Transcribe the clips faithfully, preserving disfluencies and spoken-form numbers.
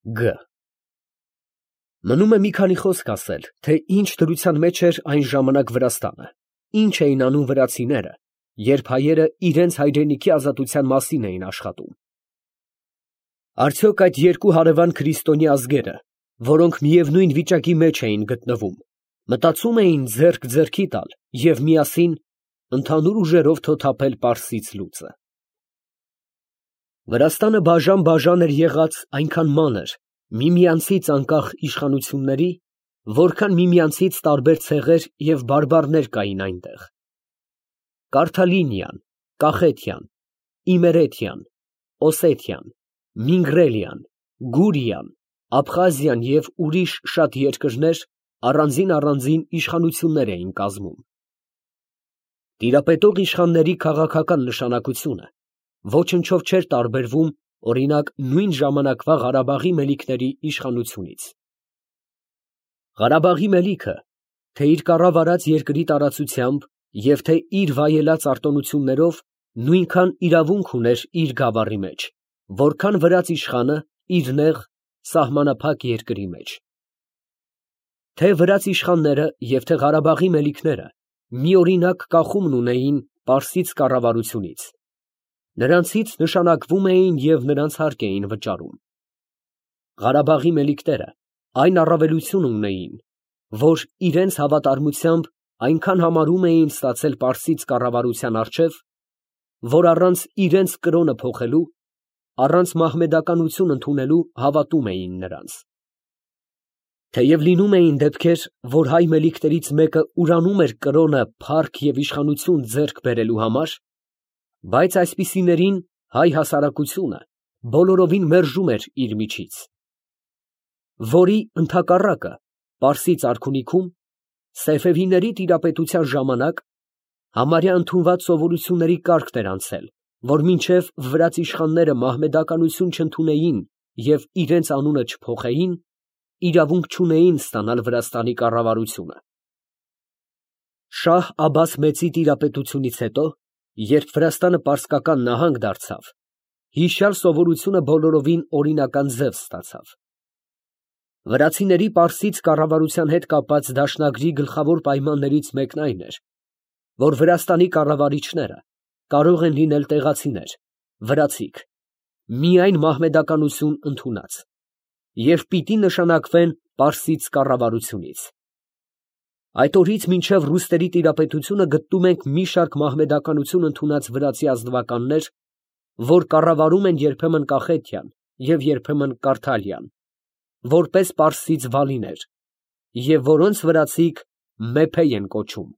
Գ Մնում է մի քանի խոսք ասել, թե ինչ դրության մեջ էր այն ժամանակ Վրաստանը, ինչ էին անում վրացիները, երբ հայերը իրենց հայրենիքի ազատության մասին էին աշխատում։ Արդյոք այդ երկու հարևան քրիստոնյա ազգերը, որոնք միևնույն վիճակի մեջ էին գտնվում, մտածում էին ձեռք ձեռքի տալ և միասին ընդհանուր ուժերով թոթափել Պարսից լուծը։ Վրաստանը բաժան֊բաժան էր եղած այնքան մանր, միմյանցից անկախ իշխանությունների, որքան միմյանցից տարբեր ցեղեր և բարբառներ կային այնտեղ. Կարթալինիան, Կախետիան, Իմերեթիան, Օսեթիան, Մինգրելիան, Գուրիան, Աբխազիան և ուրիշ շատ երկրներ առանձին֊առանձին իշխանություններ էին կազմում։ Տիրապետող իշխանների քաղաքական նշանակությունը ոչնչով չէր տարբերվում, օրինակ, նույն ժամանակվա Ղարաբաղի մելիքների իշխանությունից։ Ղարաբաղի մելիքը, թե իր կառավարած երկրի տարածությամբ և թե իր վայելած արտոնություններով, նույնքան իրավունք ուներ իր գավառի մեջ, որքան վրաց իշխանը իր նեղ, սահմանափակ երկրի մեջ։ Թե վրաց իշխանները և թե Ղարաբաղի մելիքները միօրինակ կախումն ունեին Պարսից կառավարությունից, նրանցից նշանակվում էին և նրանց հարկ էին վճարում։ Ղարաբաղի մելիքները այն առավելությունը ունեին, որ իրենց հավատարմությամբ այնքան համարում էին ստացել Պարսից կառավարության առջև, որ առանց իրենց կրոնը փոխելու, առանց մահմեդականություն ընդունելու հավատում էին նրանց։ Թեև լինում էին դեպքեր, որ հայ մելիքներից մեկը ուրանում էր կրոնը փառք և իշխանություն ձեռք բերելու համար, բայց այսպիսիներին հայ հասարակությունը բոլորովին մերժում էր իր միջից, որի ընդհակառակը Պարսից արքունիքում սեֆևիների տիրապետության ժամանակ համարյա ընդունված սովորությունների կարգն էր անցել, որ մինչև վրաց իշխանները մահմեդականություն չընդունեին և իրենց անունը չփոխեին, իրավունք չունեին ստանալ Վրաստանի կառավարությունը։ Շահ Աբբաս մեծի տիրապետությունից հետո, երբ Վրաստանը պարսկական նահանգ դարձավ, հիշյալ սովորությունը բոլորովին օրինական ձև ստացավ։ Վրացիների Պարսից կառավարության հետ կապված դաշնագրի գլխավոր պայմաններից մեկն այն էր, որ Վրաստանի կառավարիչները կարող են լինել տեղացիներ, վրացիք, միայն մահմեդականություն ընդունած, և պիտի նշանակվեն Պարսից կառավարությունից։ Այդ օրից մինչև ռուսների տիրապետությունը գտնում ենք մի շարք մահմեդականություն ընդունած վրացի ազնվականներ, որ կառավարում են երբեմն Կախետիան և երբեմն Կարթալիան, որպես պարսից վալիներ, և որոնց վրացիք մեփե են կոչում։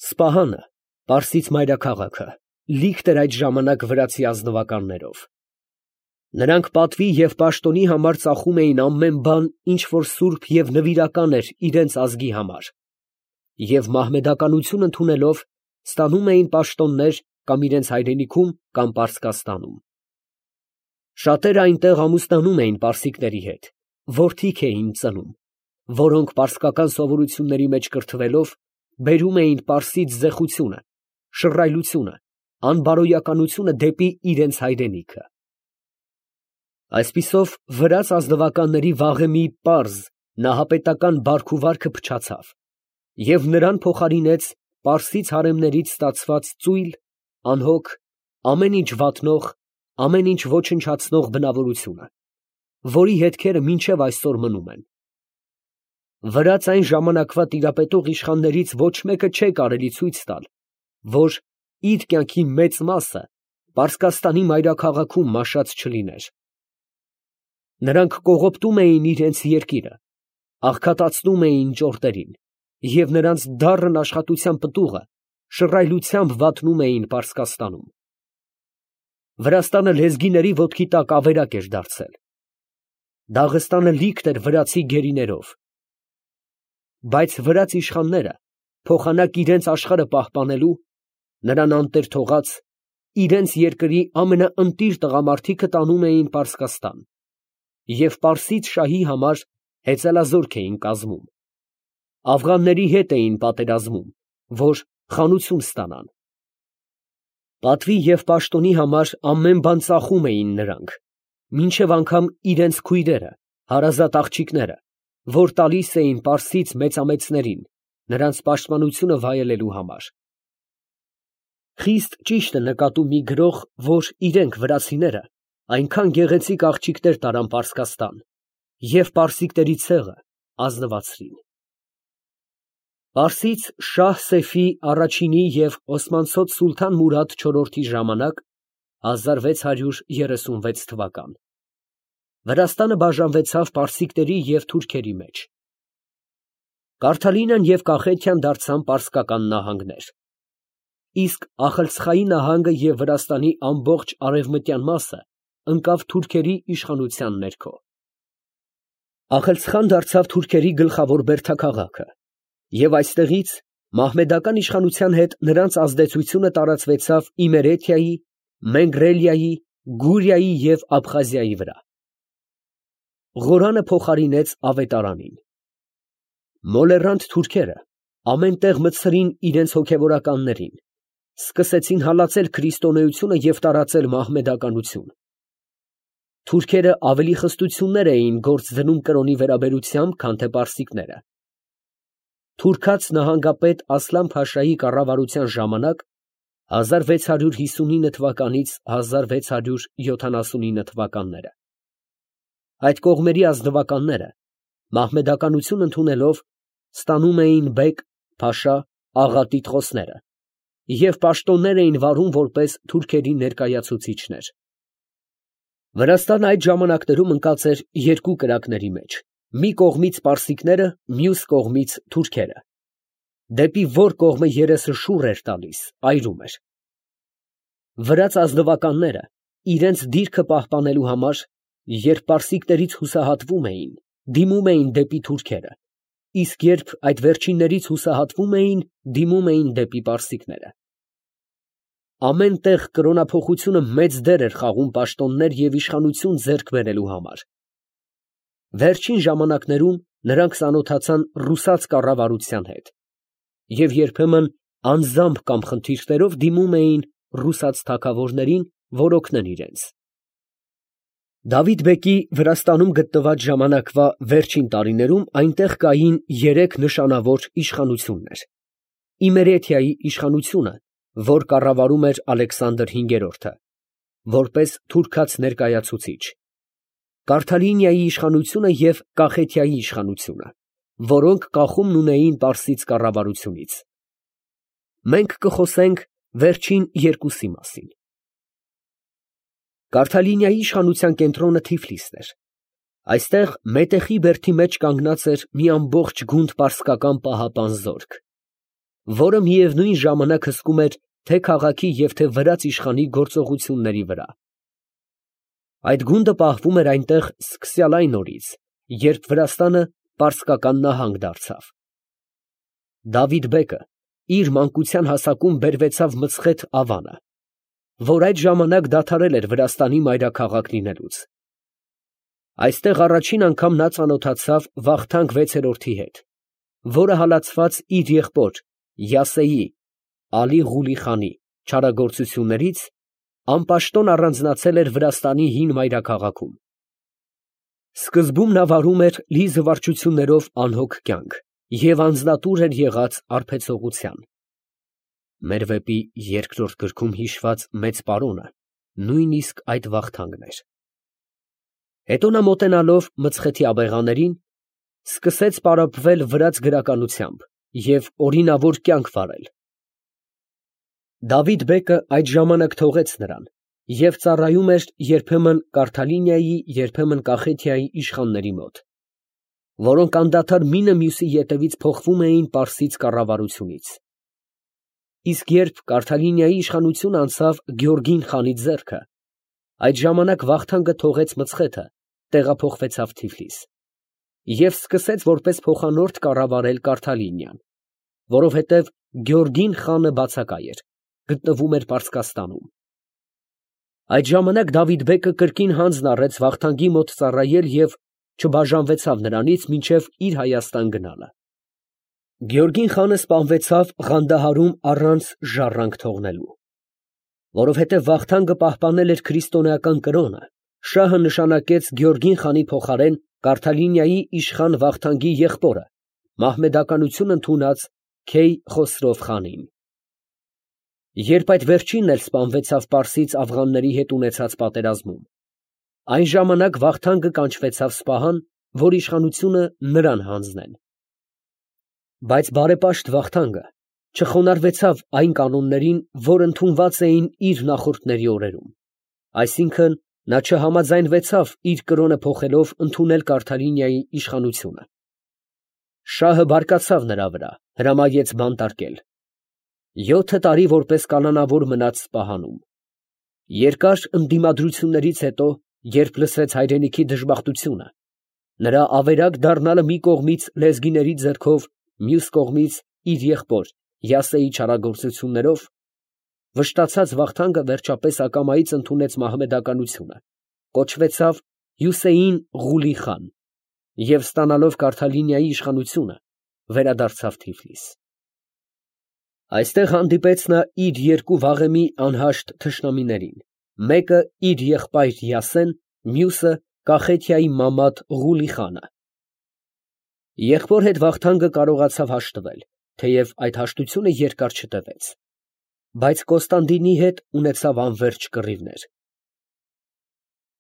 Սպահանը, Պարսից մայրաքաղաքը, լիքտ էր այդ ժամանակ վրացի ազնվականներով։ Նրանք պատվի և պաշտոնի համար ծախում էին ամեն բան, ինչ որ սուրբ և նվիրական էր իրենց ազգի համար, և մահմեդականություն ընդունելով, ստանում էին պաշտոններ կամ իրենց հայրենիքում, կամ Պարսկաստանում։ Շատերը այնտեղ ամուսնանում էին պարսիկների հետ, որդիք էին ծնում, որոնք պարսկական սովորությունների մեջ կրթվելով, բերում էին պարսից զեխությունը, շռայլությունը, անբարոյականությունը դեպի իրենց հայրենիքը։ Այսպիսով, վրաց ազնվականների վաղեմի պարզ նահապետական բարք ու վարքը փչացավ, և նրան փոխարինեց պարսից հարեմներից ստացված ծույլ, անհոգ, ամեն ինչ վատնող, ամեն ինչ ոչնչացնող բնավորությունը, որի հետքերը մինչև այսօր մնում են։ Վրաց այն ժամանակվա տիրապետող իշխաններից ոչ մեկը չէ կարելի ցույց տալ, որ իր կյանքի մեծ մասը Պարսկաստանի մայրաքաղաքում մաշած չլիներ։ Նրանք կողոպտում էին իրենց երկիրը, աղքատացնում էին ճորտերին և նրանց դառն աշխատության պտուղը շռայլությամբ վատնում էին Պարսկաստանում։ Վրաստանը լեզգիների ոտքի տակ ավերակ էր դարձել։ Դաղստանը լիքտ էր վրացի գերիներով։ Բայց վրաց իշխանները, փոխանակ իրենց աշխարհը պահպանելու, նրան անտեր թողած, իրենց երկրի ամենաընտիր տղամարդիքը տանում էին Պարսկաստան և պարսից շահի համար հեծելազորք էին կազմում, աֆղանների հետ էին պատերազմում, որ խանություն ստանան։ Պատվի և պաշտոնի համար ամեն բան ծախում էին նրանք, մինչև անգամ իրենց քույրերը, հարազատ աղջիկները, որ տալիս էին պարսից մեծամեծներին, նրանց պաշտպանությունը վայելելու համար։ Խիստ ճիշտ է նկատում մի գրող, որ իրենք վրացիները այնքան գեղեցիկ աղջիկներ տարան Պարսկաստան և պարսիկների ցեղը ազնվացրին։ Պարսից շահ Սեֆի առաջինի և Օսմանցոս սուլթան Մուրադ չորրորդի ժամանակ հազար վեց հարյուր երեսունվեց թվական Վրաստանը բաժանվեցավ պարսիկների և թուրքերի մեջ։ Կարթալինյան և Կախեթիան դարձան պարսկական նահանգներ, իսկ Ախալցխայի նահանգը և Վրաստանի ամբողջ արևմտյան մասը ընկավ թուրքերի իշխանության ներքո։ Ախալցխան դարձավ թուրքերի գլխավոր բերդաքաղաքը, և այստեղից մահմեդական իշխանության հետ նրանց ազդեցությունը տարածվեցավ Իմերեթիայի, Մենգրելիայի, Գուրիայի և Աբխազիայի վրա։ Ղորանը փոխարինեց ավետարանին։ Մոլեռանդ թուրքերը ամեն տեղ մտցրին իրենց հոգևորականներին, սկսեցին հալածել քրիստոնեությունը և տարածել մահմեդականություն։ Թուրքերը ավելի խստություններ էին գործ դնում կրոնի վերաբերությամբ, քան թե պարսիկները։ Թուրքաց նահանգապետ Ասլան֊Փաշայի կառավարության ժամանակ հազար վեց հարյուր հիսունինը թվականից հազար վեց հարյուր յոթանասունինը թվականները այդ կողմերի ազնվականները, մահմեդականություն ընդունելով, ստանում էին բեկ, փաշա, աղա տիտղոսները և պաշտոններ էին վարում որպես թուրքերի ներկայացուցիչներ։ Վրաստանը այդ ժամանակներում ընկած էր երկու կրակների մեջ, մի կողմից պարսիկները, մյուս կողմից թուրքերը, դեպի որ կողմը երեսը շուռ էր տալիս, այրում էր։ Վրաց ազնվականները իրենց դիրքը պահպանելու համար, երբ պարսիկներից հուսահատվում էին, դիմում էին դեպի թուրքերը, իսկ երբ այդ վերջիններից հուսահատվում էին, դիմում էին դեպի պարսիկները։ Ամեն տեղ կրոնափոխությունը մեծ դեր էր խաղում պաշտոններ և իշխանություն ձեռք բերելու համար։ Վերջին ժամանակներում նրանք ծանոթացան ռուսաց կառավարության հետ և երբեմն անձամբ կամ խնդիրներով դիմում էին ռուսաց թագավորներին, որ օգնեն իրենց։ Դավիթ֊բեկի Վրաստանում գտնված ժամանակվա վերջին տարիներում այնտեղ կային երեք նշանավոր իշխանություններ. Իմերեթիայի իշխանությունը, որ կառավարում էր Ալեքսանդր հինգերորդը, որպես թուրքաց ներկայացուցիչ, Կարթալինիայի իշխանությունը և Կախեթիայի իշխանությունը, որոնք կախումն ունեին պարսից կառավարությունից։ Մենք կխոսենք վերջին երկուսի մասին։ Կարթալինիայի իշխանության կենտրոնը Թիֆլիսն էր։ Այստեղ մետեխի բերդի մեջ կանգնած էր մի ամբողջ գունդ պարսկական պահապան զորք, որը միևնույն ժամանակ հսկում էր թե քաղաքի և թե վրաց իշխանի գործողությունների վրա։ Այդ գունդը պահվում էր այնտեղ սկսյալ այն օրից, երբ Վրաստանը պարսկական նահանգ դարձավ։ Դավիթ֊բեկը իր մանկության հասակում բերվեցավ Մցխեթ ավանը, որ այդ ժամանակ դադարել էր Վրաստանի մայրաքաղաք լինելուց։ Այստեղ առաջին անգամ նա ծանոթացավ Վախթանգ վեցերորդի հետ, որը հալածված իր եղբոր Յասեի Ալի Ղուլի֊խանի չարագործություններից, անպաշտոն առանձնացել էր Վրաստանի հին մայրաքաղաքում։ Սկզբում նա վարում էր լի զվարճություններով անհոգ կյանք և անձնատուր էր եղած արբեցողության։ Մեր վեպի երկրորդ գրքում հիշված մեծ պարոնը նույնիսկ այդ Վախթանգն էր։ Հետո նա մոտենալով Մցխեթի աբեղաներին, սկսեց պարապվել վրաց գրականությամբ և օրինավոր կյանք վարել։ Դավիթ֊բեկը այդ ժամանակ թողեց նրան և ծառայում էր երբեմն Կարթալինիայի, երբեմն Կախեթիայի իշխանների մոտ, որոնք անդադար մինը մյուսի ետևից փոխվում էին պարսից կառավարությունից։ Իսկ երբ Կարթալինիայի իշխանությունը անցավ Գեորգին խանի ձեռքը, այդ ժամանակ Վախթանգը թողեց Մցխեթը, տեղափոխվեցավ Թիֆլիս և սկսեց որպես փոխանորդ կառավարել Կարթալինիան, որովհետև Գեորգին խանը բացակայ էր, գտնվում էր Պարսկաստանում։ Այդ ժամանակ Դավիթ֊բեկը կրկին հանձն առեց Վախթանգի մոտ ծառայել և չբաժանվեցավ նրանից մինչև իր Հայաստան գնալը։ Գեորգին խանը սպանվեցավ Ղանդահարում առանց ժառանգ թողնելու, որովհետև Վախթանգը պահպանել էր քրիստոնեական կրոնը, Շահը նշանակեց Գեորգին խանի փոխարեն Կարթալինիայի իշխան Վախթանգի եղբորը, մահմեդականություն ընդունած Քեյ Խոսրով խանին։ Երբ այդ վերջինն էլ սպանվեցավ պարսից աֆղանների հետ ունեցած պատերազմում, այն ժամանակ Վախթանգը կանչվեցավ Սպահան, որ իշխանությունը նրան հանձնեն։ Բայց բարեպաշտ Վախթանգը չխոնարհվեցավ այն կանոններին, որ ընդունված էին իր նախորդների օրերում, այսինքն նա չհամաձայնվեցավ իր կրոնը փոխելով ընդունել Կարթալինիայի իշխանությունը։ Շահը բարկացավ նրա վրա, հրամայեց բանտարկել։ Յոթ տարի որպես կանանավոր մնաց Սպահանում։ Երկար ընդդիմադրություններից հետո, երբ լսեց հայրենիքի դժբախտությունը, նրա ավերակ դառնալը մի կողմից լեզգիների ձեռքով, մյուս կողմից իր եղբոր Յասեի չարագործություններով, վշտացած Վախթանգը վերջապես ակամայից ընդունեց մահմեդականությունը, կոչվեցավ Հյուսեյն Ղուլի խան և ստանալով Կարթալինիայի իշխանությունը, վերադարձավ Թիֆլիս։ Այստեղ հանդիպեց նա իր երկու վաղեմի անհաշտ թշնամիներին, մեկը իր եղբայր Յասեն, մյուսը Կախեթիայի մամատ Ղուլի խանը։ Եղբոր հետ Վախթանգը կարողացավ հաշտվել, թեև այդ հաշտությունը երկար չտևեց, բայց Կոստանդինի հետ ունեցավ անվերջ կռիվներ։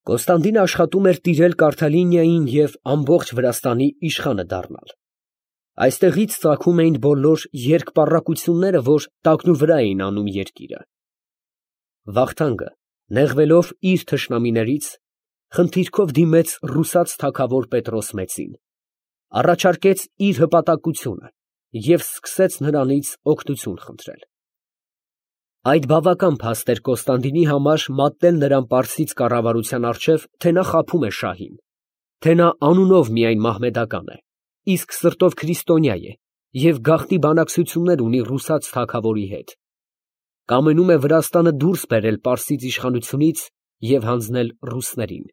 Կոստանդինը աշխատում էր տիրել Կարթալինիային և ամբողջ Վրաստանի իշխանը դառնալ։ Այստեղից ծագում էին բոլոր երկպառակությունները, որ տակնուվրա էին անում երկիրը։ Վախթանգը, նեղվելով իր թշնամիներից, խնդիրքով դիմեց ռուսաց թագավոր Պետրոս մեծին, առաջարկեց իր հպատակությունը և սկսեց նրանից օգնություն խնդրել։ Այդ բավական փաստ էր Կոստանդինի համար մատնել նրան պարսից կառավարության առջև, թե նա խաբում է շահին, թե նա անունով միայն մահմեդական է, իսկ սրտով քրիստոնյա է և գաղտնի բանակցություններ ունի ռուսաց թագավորի հետ, կամենում է Վրաստանը դուրս բերել պարսից իշխանությունից և հանձնել ռուսներին։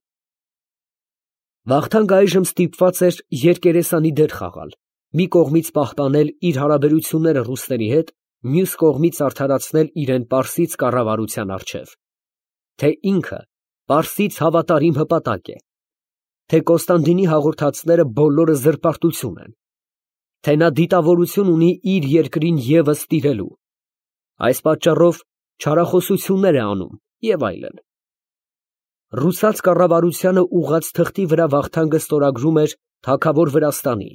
Վախթանգը այժմ ստիպված էր երկերեսանի դեր խաղալ, մի կողմից պահպանել իր հարաբերությունները ռուսների հետ, մյուս կողմից արդարացնել իրեն պարսից կառավարության առջև, թե ինքը պարսից հավատարիմ հպատակ է, թե Կոստանդինի հաղորդածները բոլորը զրպարտություն են, թե նա դիտավորություն ունի իր երկրին ևս տիրելու, այս պատճառով չարախոսություններ է անում և այլն։ Ռուսաց կառավարությանը ուղղած թղթի վրա Վախթանգը ստորագրում էր թագավոր Վրաստանի,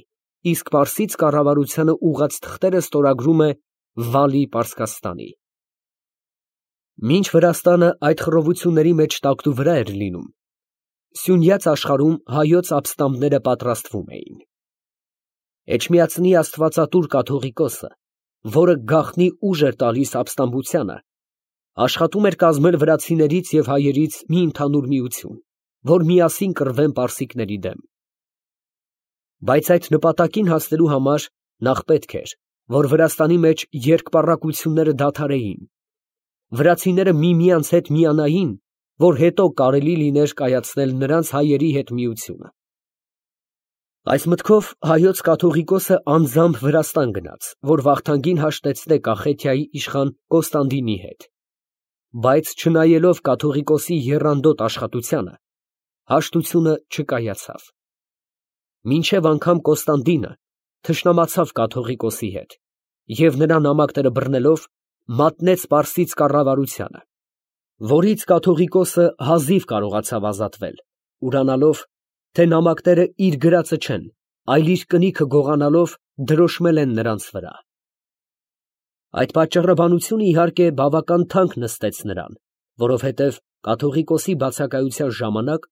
իսկ պարսից կառավարությանը ուղղած թղթերը ստորագրում է վալի Պարսկաստանի։ Մինչ Վրաստանը այդ խռովությունների մեջ տակնուվրա էր լինում, սյունյաց աշխարհում հայոց ապստամբները պատրաստվում էին։ Էջմիածնի աստվածատուր կաթողիկոսը, որը գաղտնի ուժ էր տալիս ապստամբությանը, աշխատում էր կազմել վրացիներից և հայերից մի ընդհանուր միություն, որ միասին կռվեն պարսիկների դեմ։ Բայց այդ նպատակին հասնելու համար նախ պետք էր, որ Վրաստանի մեջ երկպառակությունները դադարեին, վրացիները միմյանց հետ միանային, որ հետո կարելի լիներ կայացնել նրանց հայերի հետ միությունը։ Այս մտքով հայոց կաթողիկոսը անձամբ Վրաստան գնաց, որ Վախթանգին հաշտեցնե Կախեթիայի իշխան Կոստանդինի հետ, բայց չնայելով կաթողիկոսի եռանդոտ աշխատությանը, հաշտությունը չկայացավ։ Մինչև անգամ Կոստանդինը թշնամացավ կաթողիկոսի հետ և նրա նամակները բռնելով մատնեց պարսից կառավարությանը, որից կաթողիկոսը հազիվ կարողացավ ազատվել, ուրանալով, թե նամակները իր գրածը չեն, այլ իր կնիքը գողանալով դրոշմել են նրանց վրա։ Այդ պատճառաբանությունը իհարկե բավական թանկ նստեց նրան, որովհետև կաթողիկոսի բացակայության ժամանակ,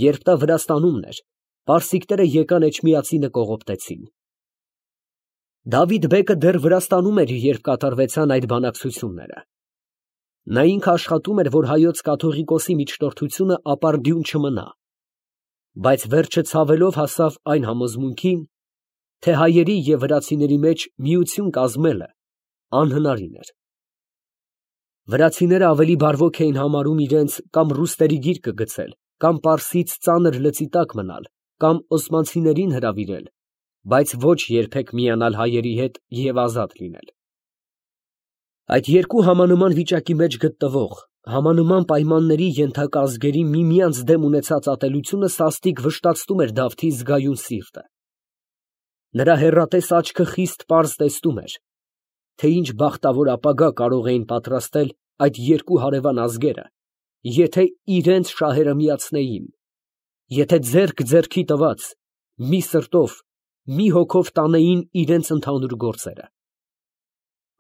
երբ նա Վրաստանումն էր, պարսիկները եկան Էջմիածինը կողոպտեցին։ Դավիթ բեկը դեռ Վրաստանում էր, երբ կատարվեցան այդ բանակցությունները։ Նա ինքը աշխատում էր, որ հայոց կաթողիկոսի միջնորդությունը ապարդյուն չմնա, բայց վերջը ցավելով հասավ այն համոզմունքին, թե հայերի և վրացիների մեջ միություն կազմելը անհնարին էր։ Վրացիները ավելի բարվոք էին համարում իրենց կամ ռուսների գիրկը գցել, կամ պարսից ծանր լծի տակ մնալ, կամ օսմանցիներին հրավիրել, բայց ոչ երբեք միանալ հայերի հետ և ազատ լինել։ Այդ երկու համանման վիճակի մեջ գտնվող Համանման պայմանների ենթակա ազգերի միմյանց դեմ ունեցած ատելությունը սաստիկ վշտացնում էր Դավթի զգայուն սիրտը. նրա հեռատես աչքը խիստ պարզ տեսնում էր, թե ինչ բախտավոր ապագա կարող էին պատրաստել այդ երկու հարևան ազգերը, եթե իրենց շահերը միացնեին, եթե ձեռք ձեռքի տված, մի սրտով, մի հոգով տանեին իրենց ընդհանուր գործերը։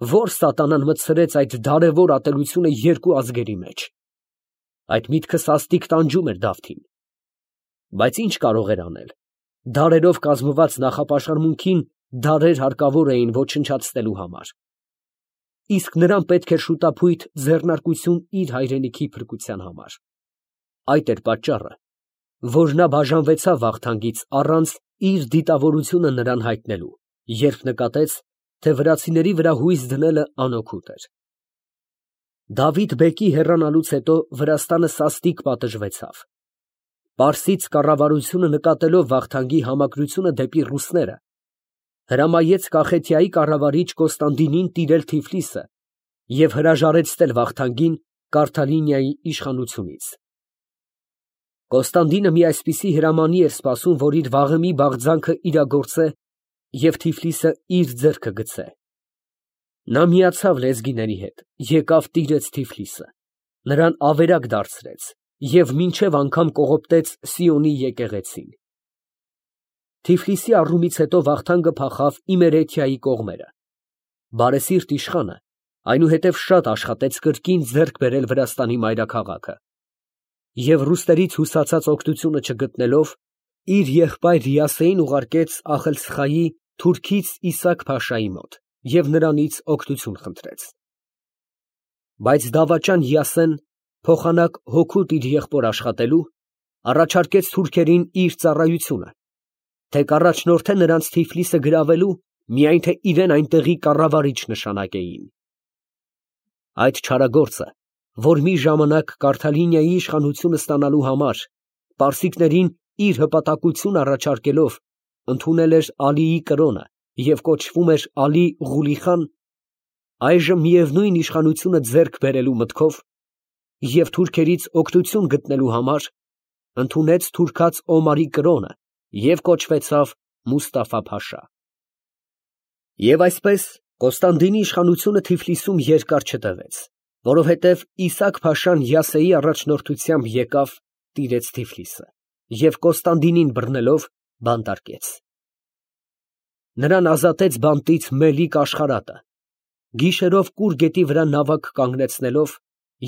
Ո՞ր սատանան մտցրեց այդ դարևոր ատելությունը երկու ազգերի մեջ։ Այդ միտքը սաստիկ տանջում էր Դավթին։ Բայց ինչ կարող էր անել։ Դարերով կազմված նախապաշարմունքին դարեր հարկավոր էին ոչնչացնելու համար։ Իսկ նրան պետք էր շուտափույթ ձեռնարկություն իր հայրենիքի փրկության համար։ Այդ էր պատճառը, որ նա բաժանվեցավ Վախթանգից առանց իր դիտավորությունը նրան հայտնելու, երբ նկատեց, թե վրացիների վրա հույս դնելը անօգուտ էր։ Դավիթ բեկի հեռանալուց հետո Վրաստանը սաստիկ պատժվեցավ։ Պարսից կառավարությունը նկատելով Վախթանգի համակրությունը դեպի ռուսները, հրամայեց Կախեթիայի կառավարիչ Կոստանդինին տիրել Թիֆլիսը և հրաժարեցնել Վախթանգին Կարթալինիայի իշխանությունից։ Կոստանդինը մի այսպիսի հրամանի էր սպասում, որ իր վաղեմի բաղձանքը իրագործե և Թիֆլիսը իր ձեռքը գցե։ Նա միացավ լեզգիների հետ, եկավ տիրեց Թիֆլիսը, նրան ավերակ դարձրեց և մինչև անգամ կողոպտեց Սիոնի եկեղեցին։ Թիֆլիսի առումից հետո Վախթանգը փախավ Իմերեթիայի կողմերը։ Բարեսիրտ իշխանը այնուհետև շատ աշխատեց կրկին ձեռք բերել Վրաստանի մայրաքաղաքը և ռուսներից հուսացած օգնությունը չգտնելով, իր եղբայր Յասեին ուղարկեց Ախելցխայի թուրքից Իսաք֊փաշայի մոտ և նրանից օգնություն խնդրեց։ Բայց դավաճան Յասեն, փոխանակ հօգուտ իր եղբոր աշխատելու, առաջարկեց թուրքերին իր ծառայությունը, թե կառաջնորդե նրանց Թիֆլիսը գրավելու, միայն թե իրեն այնտեղի կառավարիչ նշանակեին։ Այդ չարագործը, որ մի ժամանակ Կարթալինիայի իշխանությունը ստանալու համար պարսիկներին իր հպատակություն առաջարկելով ընդունել էր Ալիի կրոնը և կոչվում էր Ալի Ղուլի խան, այժմ միևնույն իշխանությունը ձեռք բերելու մտքով և թուրքերից օգնություն գտնելու համար ընդունեց թուրքաց Օմարի կրոնը և կոչվեցավ Մուստաֆա֊փաշա։ Եվ այսպես Կոստանդինի իշխանությունը Թիֆլիսում երկար չտևեց, որովհետև Իսաք֊փաշան Յասեի առաջնորդությամբ եկավ, տիրեց Թիֆլիսը և Կոստանդինին բռնելով բանտարկեց։ Նրան ազատեց բանտից Մելիք Աշխարհատը, գիշերով Կուր գետի վրա նավակ կանգնեցնելով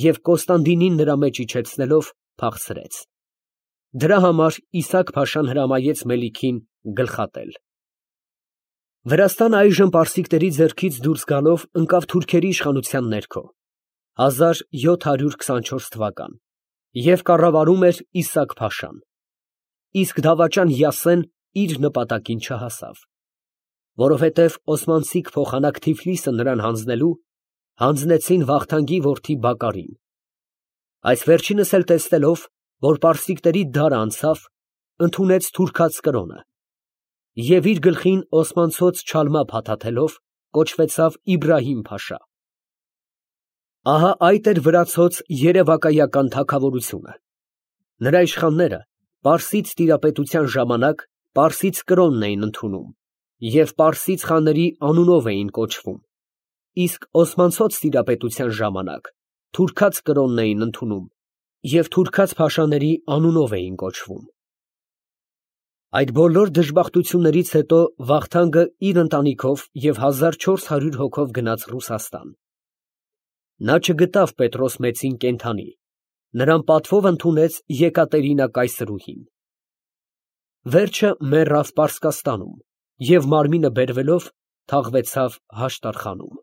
և Կոստանդինին նրա մեջ իջեցնելով փախցրեց։ Դրա համար Իսաք֊փաշան հրամայեց Մելիքին գլխատել։ Վրաստանը այժմ պարսիկների ձեռքից դուրս գալով ընկավ թուրքերի իշխանության ներքո հազար յոթ հարյուր քսանչորս թվական և կառավարում էր Իսաք֊փաշան, իսկ դավաճան Յասեն իր նպատակին չհասավ, որովհետև օսմանցիք փոխանակ Թիֆլիսը նրան հանձնելու հանձնեցին Վախթանգի որդի Բակարին։ Այս վերջինս էլ տեսնելով, որ պարսիկների դարը անցավ, ընդունեց թուրքաց կրոնը և իր գլխին օսմանցոց չալմա փաթաթելով կոչվեցավ Իբրահիմ֊փաշա։ Ահա այդ էր վրացոց երևակայական թագավորությունը։ Նրա իշխանները պարսից տիրապետության ժամանակ պարսից կրոնն էին ընդունում և պարսից խաների անունով էին կոչվում, իսկ օսմանցոց տիրապետության ժամանակ թուրքաց կրոնն էին ընդունում և թուրքաց փաշաների անունով էին կոչվում։ Այդ բոլոր դժբախտություններից հետո Վախթանգը իր ընտանիքով և հազար չորս հարյուր հոգով գնաց Ռուսաստան։ Նա չգտավ Պետրոս Մեծին կենդանի, նրան պատվով ընդունեց Եկատերինա կայսրուհին։ Վերջը մեռավ Պարսկաստանում և մարմինը բերվելով թաղվեցավ Հաշտարխանում։